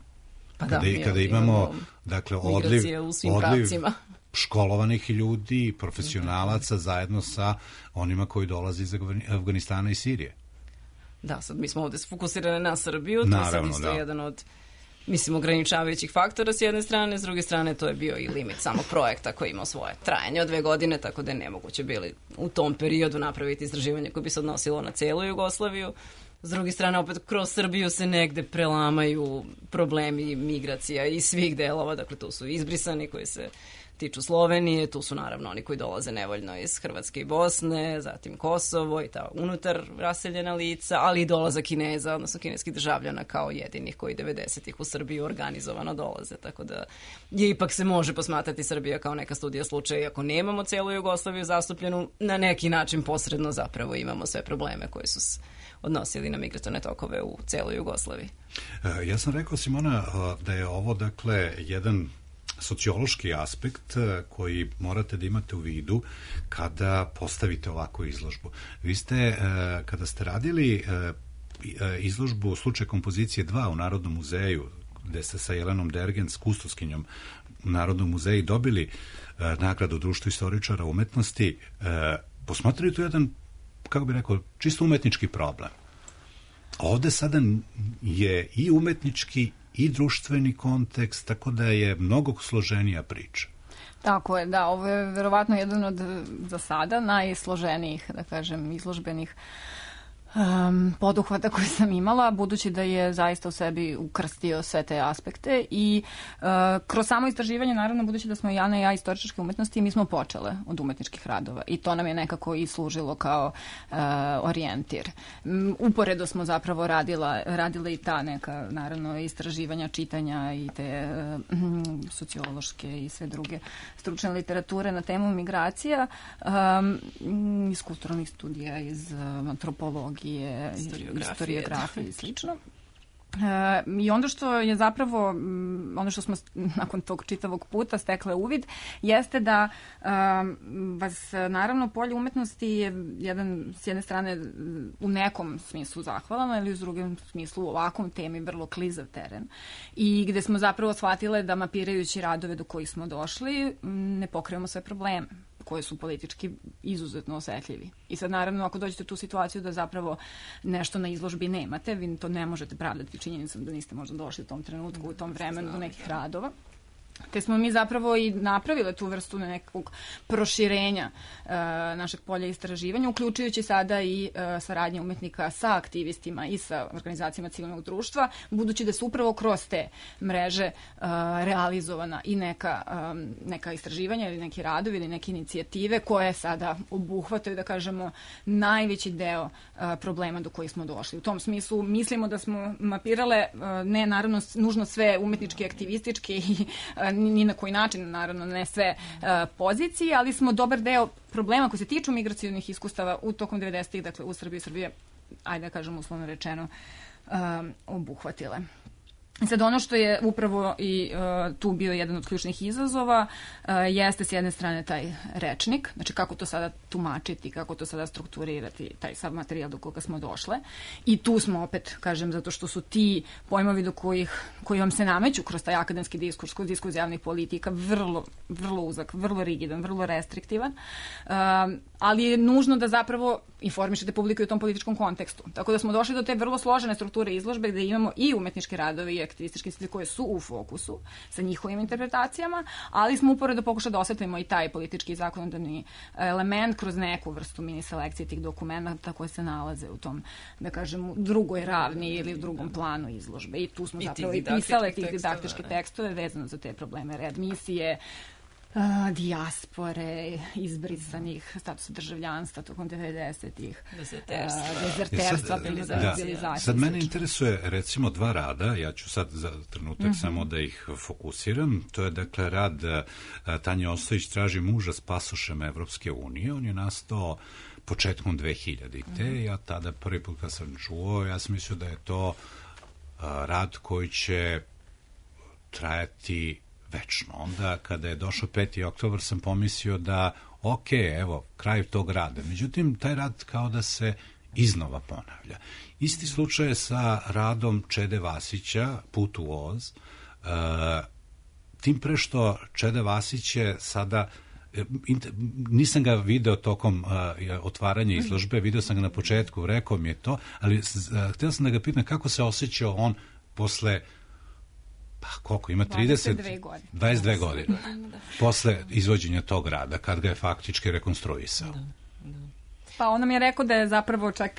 Kada imamo dakle, odliv školovanih ljudi, profesionalaca zajedno sa onima koji dolaze iz Afganistana i Sirije. Da, sad mi smo ovde fokusirane na Srbiju, to je sad isto jedan od, mislim, ograničavajućih faktora s jedne strane, s druge strane to je bio i limit samog projekta koji imao svoje trajanje od 2 godine, tako da je nemoguće bili u tom periodu napraviti istraživanje koje bi se odnosilo na celu Jugoslaviju. S druge strane, opet, kroz Srbiju se negde prelamaju problemi migracija iz svih delova, dakle, tu su izbrisani koji se tiču Slovenije, tu su naravno oni koji dolaze nevoljno iz Hrvatske i Bosne, zatim Kosovo i ta unutar raseljena lica, ali i dolazak Kineza, odnosno kineskih državljana kao jedinih koji 90-ih u Srbiju organizovano dolaze, tako da je ipak se može posmatrati Srbija kao neka studija slučaja, iako nemamo celu Jugoslaviju zastupljenu, na neki način posredno zapravo imamo sve probleme koji su odnosili na migratorne tokove u celoj Jugoslaviji. Ja sam rekao, Simona, da je ovo, dakle, jedan sociološki aspekt koji morate da imate u vidu kada postavite ovakvu izložbu. Vi ste, kada ste radili izložbu Slučaj kompozicije 2 u Narodnom muzeju, gde ste sa Jelenom Dergens, kustoskinjom u Narodnom muzeju, dobili nagradu Društva istoričara umetnosti, posmatrali tu jedan, kako bih rekao, čisto umetnički problem. Ovde sada je i umetnički i društveni kontekst, tako da je mnogo složenija priča. Tako je, da, ovo je verovatno jedan od, za sada, najsloženijih, da kažem, izložbenih poduhvata koje sam imala, budući da je zaista u sebi ukrstio sve te aspekte i kroz samo istraživanje, naravno, budući da smo Jana i ja istoričarske umetnosti, mi smo počele od umetničkih radova i to nam je nekako i služilo kao orijentir. Uporedo smo zapravo radile i ta neka, naravno, istraživanja, čitanja i te sociološke i sve druge stručne literature na temu migracija, iz kulturalnih studija, iz antropologije, historiografije i slično. I onda što je zapravo, ono što smo nakon tog čitavog puta stekle uvid, jeste da vas, naravno, polje umetnosti je s jedne strane u nekom smislu zahvalano, ili u drugom smislu u ovakvom temi vrlo klizav teren. I gde smo zapravo shvatile da mapirajući radove do kojih smo došli, ne pokrijemo sve probleme koje su politički izuzetno osetljivi. I sad, naravno, ako dođete u tu situaciju da zapravo nešto na izložbi nemate, vi to ne možete pravdati činjenicom da niste možda došli u tom trenutku, u tom vremenu do nekih radova. Te smo mi zapravo i napravile tu vrstu nekog proširenja našeg polja istraživanja, uključujući sada i saradnje umetnika sa aktivistima i sa organizacijama civilnog društva, budući da su upravo kroz te mreže realizovana i neka istraživanja ili neki radovi ili neke inicijative koje sada obuhvataju, da kažemo, najveći deo problema do kojih smo došli. U tom smislu mislimo da smo mapirale, ne naravno nužno sve umetnički, aktivistički i ni na koji način, naravno ne sve pozicije, ali smo dobar deo problema koji se tiču migracionih iskustava u tokom 90-ih, dakle u Srbiji, ajde da kažem uslovno rečeno, obuhvatile. I sad ono što je upravo i tu bio jedan od ključnih izazova jeste s jedne strane taj rečnik, znači kako to sada tumačiti, kako to sada strukturirati, taj sav materijal do koga smo došle. I tu smo opet, kažem, zato što su ti pojmovi koji vam se nameću kroz taj akademski diskurs, kroz diskurs javnih politika, vrlo uzak, vrlo rigidan, vrlo restriktivan, ali je nužno da zapravo informišete publiku u tom političkom kontekstu. Tako da smo došli do te vrlo složene strukture izložbe gde imamo i umetničke radove i aktivističke institucije koje su u fokusu sa njihovim interpretacijama, ali smo uporedo pokušali da osvetlimo i taj politički i zakonodavni element kroz neku vrstu mini selekcije tih dokumenta koje se nalaze u tom, da kažem, drugoj ravni ili u drugom planu izložbe. I tu smo zapravo i pisale tih didaktičke tekstove vezano za te probleme readmisije, dijaspore, izbrisanih, statusa državljanstva tokom 90-ih, dezerterstva, privatizacije. Sad mene interesuje recimo dva rada, ja ću sad za trenutak samo da ih fokusiram, to je dakle rad Tanje Ostojić traži muža s pasošem Evropske unije, on je nastao početkom 2000-te, ja tada prvi put kad sam čuo, ja sam mislio da je to rad koji će trajati večno. Onda kada je došao 5. oktobar sam pomislio da evo, kraj tog rada. Međutim, taj rad kao da se iznova ponavlja. Isti slučaj je sa radom Čede Vasića, Put u Oz, tim pre što Čede Vasić je sada, nisam ga video tokom otvaranja izložbe, video sam ga na početku, rekao mi je to, ali htio sam da ga pitam kako se osjećao on posle koliko ima 22 godine posle izvođenja tog rada kad ga je faktički rekonstruisao. Pa on nam je rekao da je zapravo čak,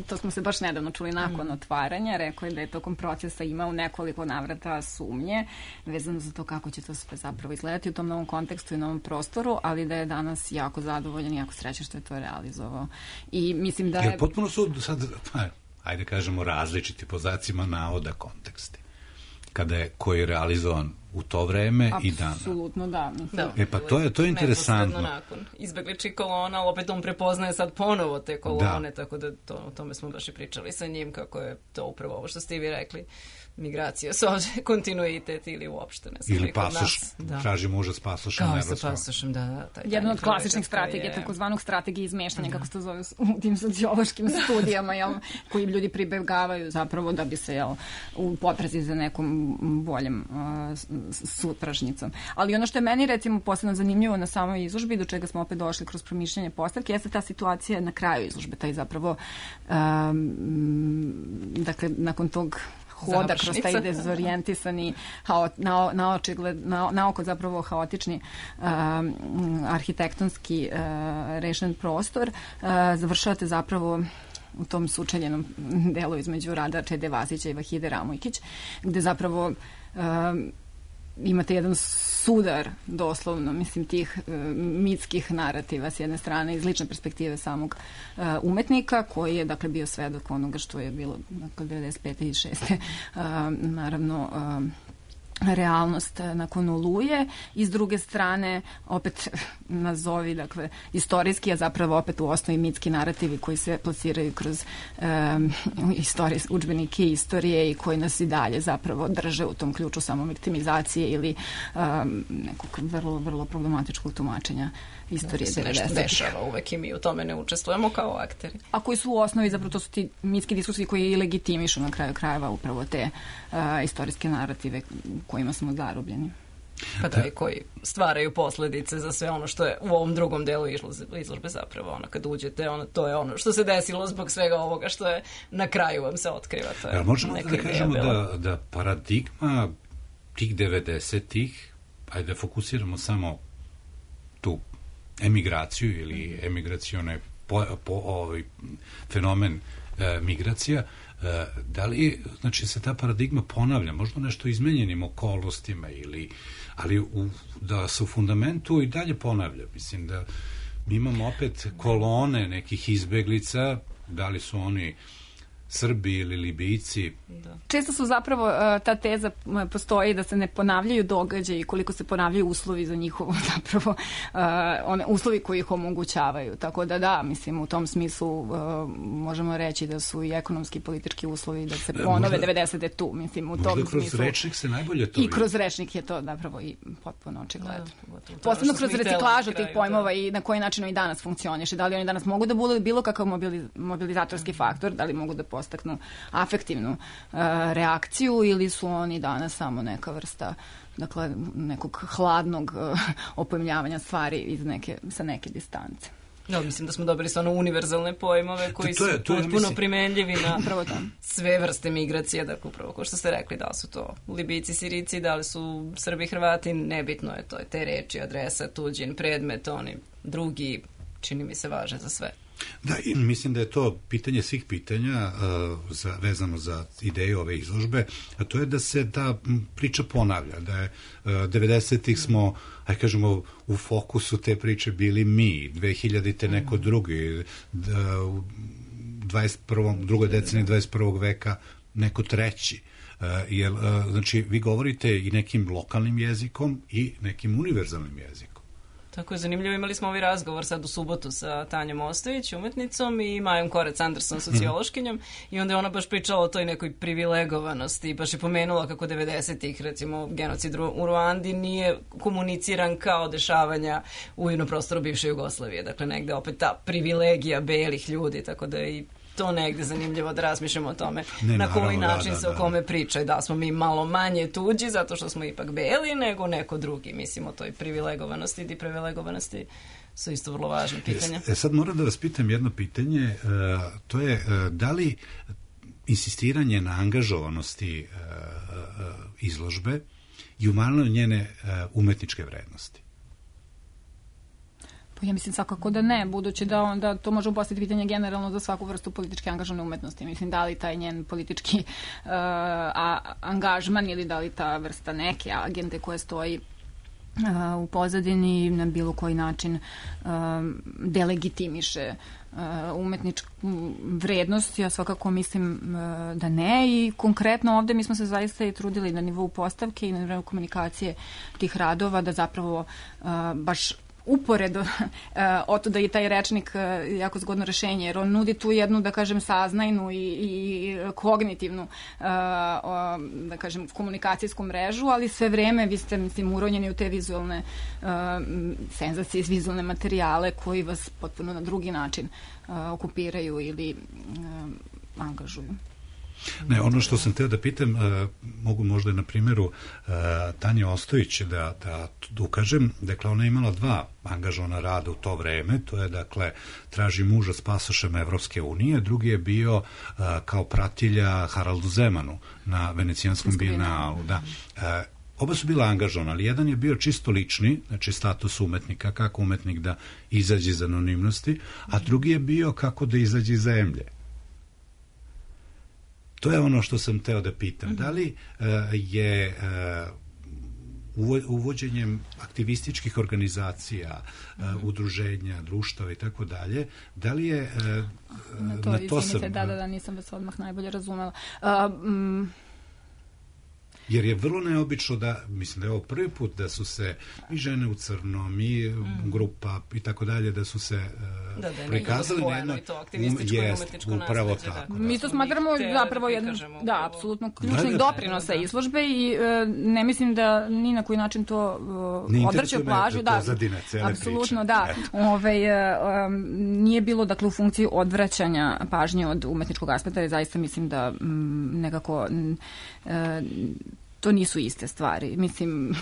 to smo se baš nedavno čuli nakon otvaranja, rekao je da je tokom procesa imao nekoliko navrata sumnje vezano za to kako će to sve zapravo izgledati u tom novom kontekstu i novom prostoru, ali da je danas jako zadovoljan i jako srećan što je to realizovao. I mislim da je... Potpuno su sad, ajde kažemo, različiti po znacima navoda konteksti. Kada je koji je realizovan u to vreme i dana. Apsolutno, da. Pa to je interesantno. Nakon izbegličkih kolona, ali opet on prepoznaje sad ponovo te kolone, tako da o tome smo baš i pričali sa njim, kako je to upravo ovo što ste i vi rekli, migracija, kontinuitet ili uopšte ne znam. Ili pasoš, traži muža s pasošem. Kao sa pasošem, da. Jedna od klasičnih strategija, takozvanog strategije izmeštanja, kako se to zove u tim sociološkim studijama, koji ljudi pribegavaju zapravo da bi se u potrazi za nekom boljem sutrašnjicom. Ali ono što je meni recimo posebno zanimljivo na samoj izložbi, do čega smo opet došli kroz promišljanje postavke, jeste ta situacija na kraju izložbe, taj zapravo dakle, nakon tog hoda kroz taj dezorijentisani, na oko zapravo haotični arhitektonski rešen prostor, završavate zapravo u tom sučeljenom delu između rada Čede Vasića i Vahide Ramojkić, gde zapravo imate jedan sudar, doslovno, mislim, tih mitskih narativa s jedne strane iz lične perspektive samog umetnika, koji je, dakle, bio svedok onoga što je bilo, dakle, 95. i 6. Naravno, realnost nakon Oluje i s druge strane opet nazovi, dakle, istorijski, a zapravo opet u osnovi mitski narativi koji se plasiraju kroz udžbenike istorije i koji nas i dalje zapravo drže u tom ključu samoviktimizacije ili nekog vrlo, vrlo problematičkog tumačenja istorije 90-ih. Se nešto dešava uvek i mi u tome ne učestvujemo kao akteri. A koji su u osnovi, zapravo to su ti mitski diskursi koji i legitimišu na kraju krajeva upravo te istorijske narative kojima smo zarobljeni. Pa da, i koji stvaraju posledice za sve ono što je u ovom drugom delu izložbe zapravo. Ono, kad uđete, to je ono što se desilo zbog svega ovoga što je na kraju vam se otkriva. Možemo da kažemo da paradigma tih 90-ih, ajde da fokusiramo samo tu emigraciju ili emigracione fenomen migracija, da li, znači, se ta paradigma ponavlja, možda nešto izmenjenim okolnostima, ali da se u fundamentu i dalje ponavlja. Mislim da mi imamo opet kolone nekih izbeglica, da li su oni Srbi ili Libijci, često su zapravo ta teza postoji da se ne ponavljaju događaji koliko se ponavljaju uslovi za njihovo zapravo uslovi koji ih omogućavaju. Tako da, mislim, u tom smislu možemo reći da su i ekonomski i politički uslovi da se ponove 90. tu. Mislim, u tom možda kroz smislu, rečnik se najbolje to i kroz rečnik je to zapravo i potpuno očigledno. Posebno kroz reciklažu tih pojmova i na koji način oni danas funkcioniše. Da li oni danas mogu da budu bilo kakav mobilizatorski faktor, da li mogu da postaknu afektivnu reakciju ili su oni danas samo neka vrsta, dakle, nekog hladnog opojmljavanja stvari sa neke distance. Ja, mislim da smo dobili stvarno univerzalne pojmove koji su potpuno primenljivi na sve vrste migracije, dakle upravo kao što ste rekli, da li su to Libijci, Sirici, da li su Srbi, Hrvati, nebitno je to, te reči, adresa, tuđin, predmet, oni drugi, čini mi se, važe za sve. Da, i mislim da je to pitanje svih pitanja vezano za ideju ove izložbe, a to je da se ta priča ponavlja, da je 90-ih smo, ajde kažemo, u fokusu te priče bili mi, 2000-te neko drugi, u drugoj deceniji 21. veka neko treći. Znači, vi govorite i nekim lokalnim jezikom i nekim univerzalnim jezikom. Tako je zanimljivo, imali smo ovaj razgovor sad u subotu sa Tanjom Ostojić, umetnicom, i Majom Korec-Anderson, sociološkinjom, i onda je ona baš pričala o toj nekoj privilegovanosti, baš je pomenula kako 90-ih, recimo, genocid u Ruandi nije komuniciran kao dešavanja u prostoru bivše Jugoslavije. Dakle, negde opet ta privilegija belih ljudi, tako da i to negde zanimljivo da razmišljamo o tome na koji način se o kome priča, da smo mi malo manje tuđi zato što smo ipak beli nego neko drugi. Mislim o toj privilegovanosti i deprivilegovanosti su isto vrlo važne pitanja. Sad moram da vas pitam jedno pitanje, to je da li insistiranje na angažovanosti izložbe i umanjuje njene umetničke vrednosti? Ja mislim svakako da ne, budući da onda to možemo postaviti pitanje generalno za svaku vrstu političke angažovane umetnosti. Mislim, da li taj njen politički angažman ili da li ta vrsta neke agende koje stoji u pozadini na bilo koji način delegitimiše umetničku vrednost. Ja svakako mislim da ne, i konkretno ovde mi smo se zaista i trudili na nivou postavke i na nivou komunikacije tih radova da zapravo baš uporedo oto da je taj rečnik jako zgodno rešenje, jer on nudi tu jednu, da kažem, saznajnu i kognitivnu, da kažem, komunikacijsku mrežu, ali sve vreme vi ste, mislim, uronjeni u te vizualne senzacije, vizualne materijale koji vas potpuno na drugi način okupiraju ili angažuju. Ne, ono što sam teo da pitam, mogu možda na primjeru Tanje Ostojić da ukažem, dakle ona je imala dva angažovana rada u to vreme, to je dakle Traži muža s pasošem Evropske unije, drugi je bio kao pratilja Haraldu Zemanu na Venecijanskom bijenalu, da. Oba su bila angažovana, ali jedan je bio čisto lični, znači status umetnika, kako umetnik da izađe iz anonimnosti, a drugi je bio kako da izađe iz zemlje. To je ono što sam teo da pitam. Da li je uvođenjem aktivističkih organizacija, udruženja, društava i tako dalje, da li je na to sam... Da, nisam vas odmah najbolje razumela. Jer je vrlo neobično da, mislim da je ovo prvi put da su se i žene u crnom i grupa i tako dalje, da su se prikazali na jedno upravo tako. Mi to smatramo zapravo jedno, da, apsolutno ključnih doprinosa izložbe i ne mislim da ni na koji način to odvrće plažu. Da, apsolutno, da. Nije bilo, dakle, u funkciji odvraćanja pažnje od umetničkog aspekta, jer zaista mislim da nekako to nisu iste stvari, mislim,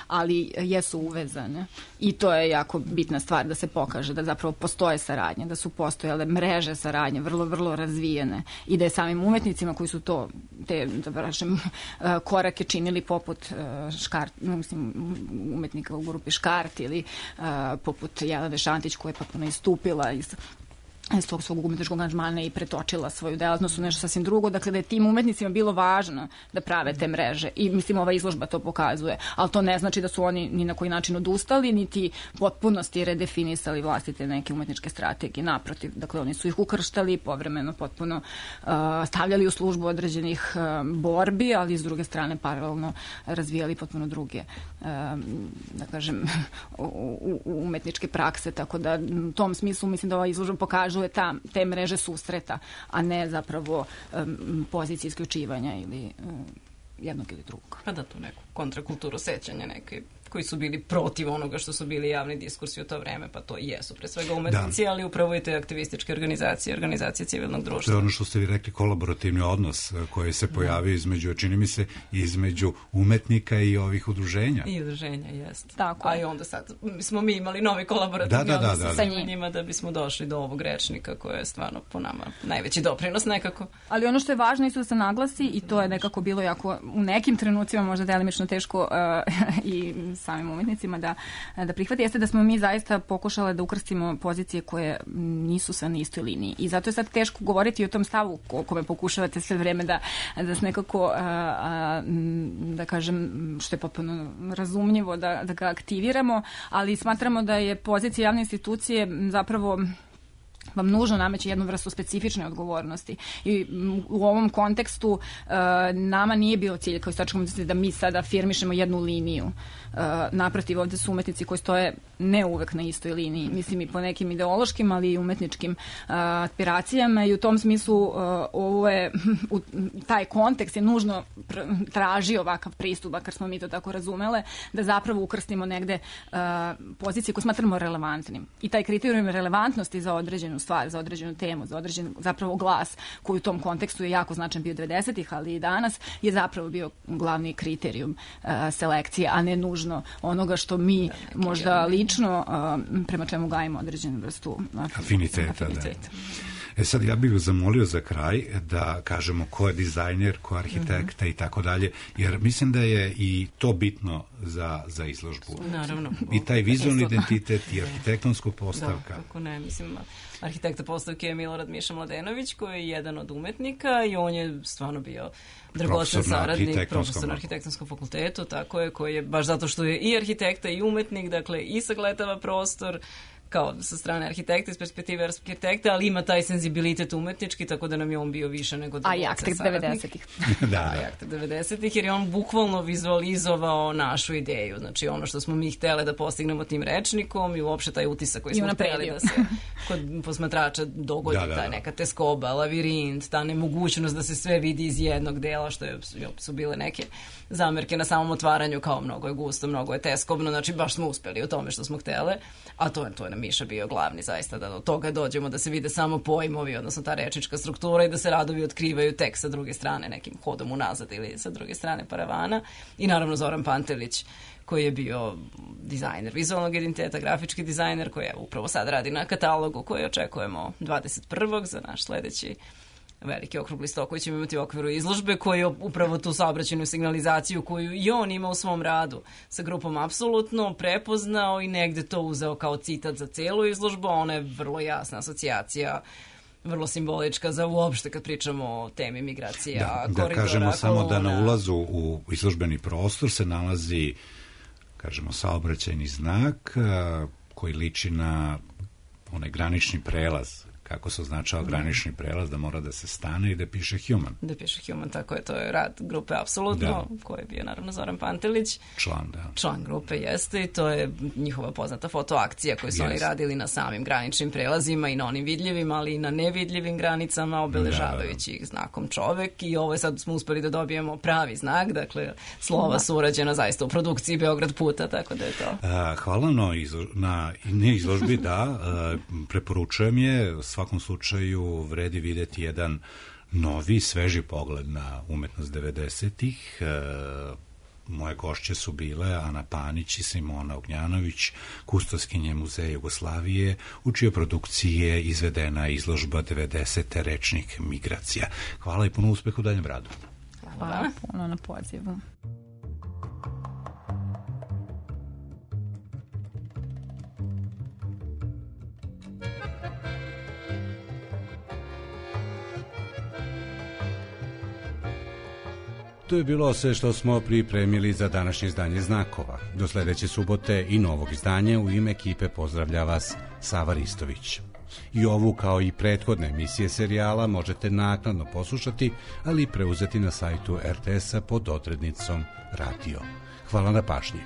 ali jesu uvezane i to je jako bitna stvar da se pokaže da zapravo postoje saradnje, da su postojale mreže saradnje, vrlo, vrlo razvijene i da je samim umetnicima koji su te korake činili poput umetnika u grupi Škart ili poput Jelene Šantić koja je potpuno istupila iz iz tog svog umetničkog angažmana i pretočila svoju delatnost u nešto sasvim drugo. Dakle, da je tim umetnicima bilo važno da prave te mreže. I mislim, ova izložba to pokazuje. Ali to ne znači da su oni ni na koji način odustali, niti potpunosti redefinisali vlastite neke umetničke strategije. Naprotiv, dakle, oni su ih ukrštali, povremeno potpuno stavljali u službu određenih borbi, ali s druge strane paralelno razvijali potpuno druge, da kažem, umetničke prakse. Tako da u tom smislu mislim da ova izložba pokaže te mreže susreta, a ne zapravo pozicije isključivanja ili jednog ili drugog. Pa da, tu neku kontrakulturu sećanja neke koji su bili protiv onoga što su bili javni diskursi u to vreme, pa to i jesu pre svega umetnici, ali upravo i te aktivističke organizacije civilnog društva. To je ono što ste vi rekli, kolaborativni odnos koji se pojavio između, čini mi se, između umetnika i ovih udruženja. I udruženja, jeste. Tako. A i onda sad smo mi imali novi kolaborativni odnos sa njima da bismo došli do ovog rečnika koje je stvarno po nama najveći doprinos nekako. Ali ono što je važno isto da se naglasi, i to je nekako bilo jako u nekim trenucima možda delimično teško i samim umetnicima da prihvati, jeste da smo mi zaista pokušale da ukrstimo pozicije koje nisu sve na istoj liniji. I zato je sad teško govoriti o tom stavu o kome pokušavate sve vreme da se nekako, da kažem, što je potpuno razumljivo da ga aktiviramo, ali smatramo da je pozicija javne institucije zapravo vam nužno nameće jednu vrstu specifične odgovornosti. I u ovom kontekstu nama nije bio cilj kao istorijskom umetnici da mi sada afirmišemo jednu liniju. Naprotiv, ovde su umetnici koji stoje ne uvek na istoj liniji. Mislim i po nekim ideološkim, ali i umetničkim aspiracijama i u tom smislu ovo je, taj kontekst je nužno traži ovakav pristup, bakar smo mi to tako razumele, da zapravo ukrstimo negde pozicije koje smatramo relevantnim. I taj kriterijum relevantnosti za određenu stvar, za određenu temu, za određen zapravo glas koji u tom kontekstu je jako značan bio 90-ih, ali i danas je zapravo bio glavni kriterijum selekcije, a ne nužno onoga što mi možda lično prema čemu gajimo određenu vrstu afiniteta. Da. Sad ja bih zamolio za kraj da kažemo ko je dizajner, ko je arhitekta i tako dalje, jer mislim da je i to bitno za izložbu. Naravno. I taj vizualni identitet i arhitektonska postavka. Da, kako ne, mislim, arhitekta postavke je Milorad Miša Mladenović, koji je jedan od umetnika i on je stvarno bio dragocen saradnik, profesor na arhitektonskom fakultetu, tako je, koji je, baš zato što je i arhitekta i umetnik, dakle i sagledava prostor, kao sa strane arhitekta, iz perspektive arhitekta, ali ima taj senzibilitet umetnički, tako da nam je on bio više nego dragocen saradnik. A jak 90-ih. Da, jak 90-ih, jer je on bukvalno vizualizovao našu ideju. Znači, ono što smo mi htjeli da postignemo tim rečnikom i uopšte taj utisak koji smo htjeli da se kod posmatrača dogodi, ta neka teskoba, lavirint, ta nemogućnost da se sve vidi iz jednog dela, što su bile neke zamerke na samom otvaranju, kao mnogo je gusto, mnogo je teskobno, znači baš smo uspeli u tome što smo htjeli, a to je nam Miša bio glavni zaista, da do toga dođemo, da se vide samo pojmovi, odnosno ta rečnička struktura i da se radovi otkrivaju tek sa druge strane, nekim hodom unazad ili sa druge strane paravana. I naravno Zoran Pantelić, koji je bio dizajner vizualnog identiteta, grafički dizajner, koji upravo sad radi na katalogu koji očekujemo 21. za naš sledeći veliki okrugli sto koji ćemo imati u okviru izložbe, koji je upravo tu saobraćajnu signalizaciju koju i on ima u svom radu sa grupom apsolutno prepoznao i negde to uzeo kao citat za celu izložbu. Ona je vrlo jasna asocijacija, vrlo simbolička za uopšte kad pričamo o temi migracija, koridora, da kažemo samo kolona. Da na ulazu u izložbeni prostor se nalazi, kažemo, saobraćajni znak koji liči na onaj granični prelaz, kako se označava granični prelaz, da mora da se stane i da piše Human. Da piše Human, tako je, to je rad grupe Apsolutno, koji je bio naravno Zoran Pantelić. Član grupe jeste i to je njihova poznata fotoakcija koju su oni radili na samim graničnim prelazima i na onim vidljivim, ali i na nevidljivim granicama, obeležavajući ih znakom čovek i ovo je sad smo uspeli da dobijemo pravi znak, dakle slova su urađena zaista u produkciji Beograd puta, tako da je to. Hvala na izložbi, da, preporučujem je, svakom slučaju vredi videti jedan novi, sveži pogled na umetnost 90-ih. Moje gošće su bile Ana Panić i Simona Ognjanović, kustoskinje Muzeja Jugoslavije, u čijoj produkciji je izvedena izložba 90. Rečnik migracija. Hvala i puno uspeha u daljem radu. Hvala puno na pozivu. To je bilo sve što smo pripremili za današnje izdanje Znakova. Do sledeće subote i novog izdanja u ime ekipe pozdravlja vas Sava Ristović. I ovu kao i prethodne emisije serijala možete naknadno poslušati, ali i preuzeti na sajtu RTS-a pod odrednicom Radio. Hvala na pažnji.